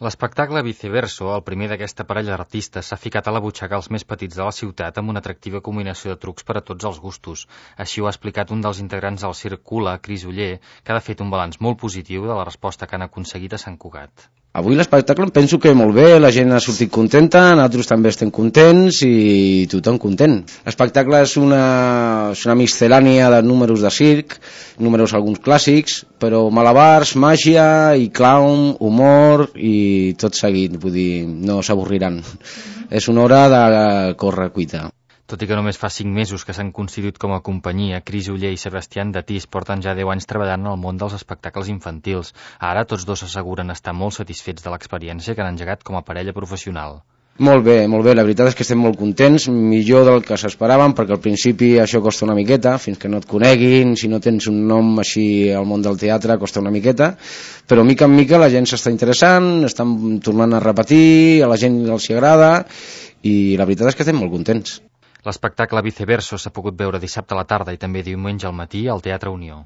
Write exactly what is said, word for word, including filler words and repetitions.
L'espectacle Viceverso, el primer d'aquesta parella d'artistes, s'ha ficat a la butxaca als més petits de la ciutat amb una atractiva combinació de trucs per a tots els gustos. Així ho ha explicat un dels integrants del Circ Cula, Cris Oller, que ha fet un balanç molt positiu de la resposta que han aconseguit a Sant Cugat. Avui l'espectacle em penso que molt bé, la gent ha sortit contenta, nosaltres també estem contents i tothom content. L'espectacle és una, és una miscel·lània de números de circ, números alguns clàssics, però malabars, màgia i clown, humor i tot seguit, vull dir, no s'avorriran. És una hora de córrer cuita. Tot i que només fa cinc mesos que s'han constituït com a companyia, Cris Oller i Sebastián Datís porten ja deu anys treballant en el món dels espectacles infantils. Ara tots dos s'asseguren estar molt satisfets de l'experiència que han engegat com a parella professional. Molt bé, molt bé, la veritat és que estem molt contents, millor del que s'esperaven, perquè al principi això costa una miqueta, fins que no et coneguin, si no tens un nom així al món del teatre costa una miqueta, però mica en mica la gent s'està interessant, estan tornant a repetir, a la gent els agrada, i la veritat és que estem molt contents. L'espectacle Viceverso s'ha pogut veure dissabte a la tarda i també diumenge al matí al Teatre Unió.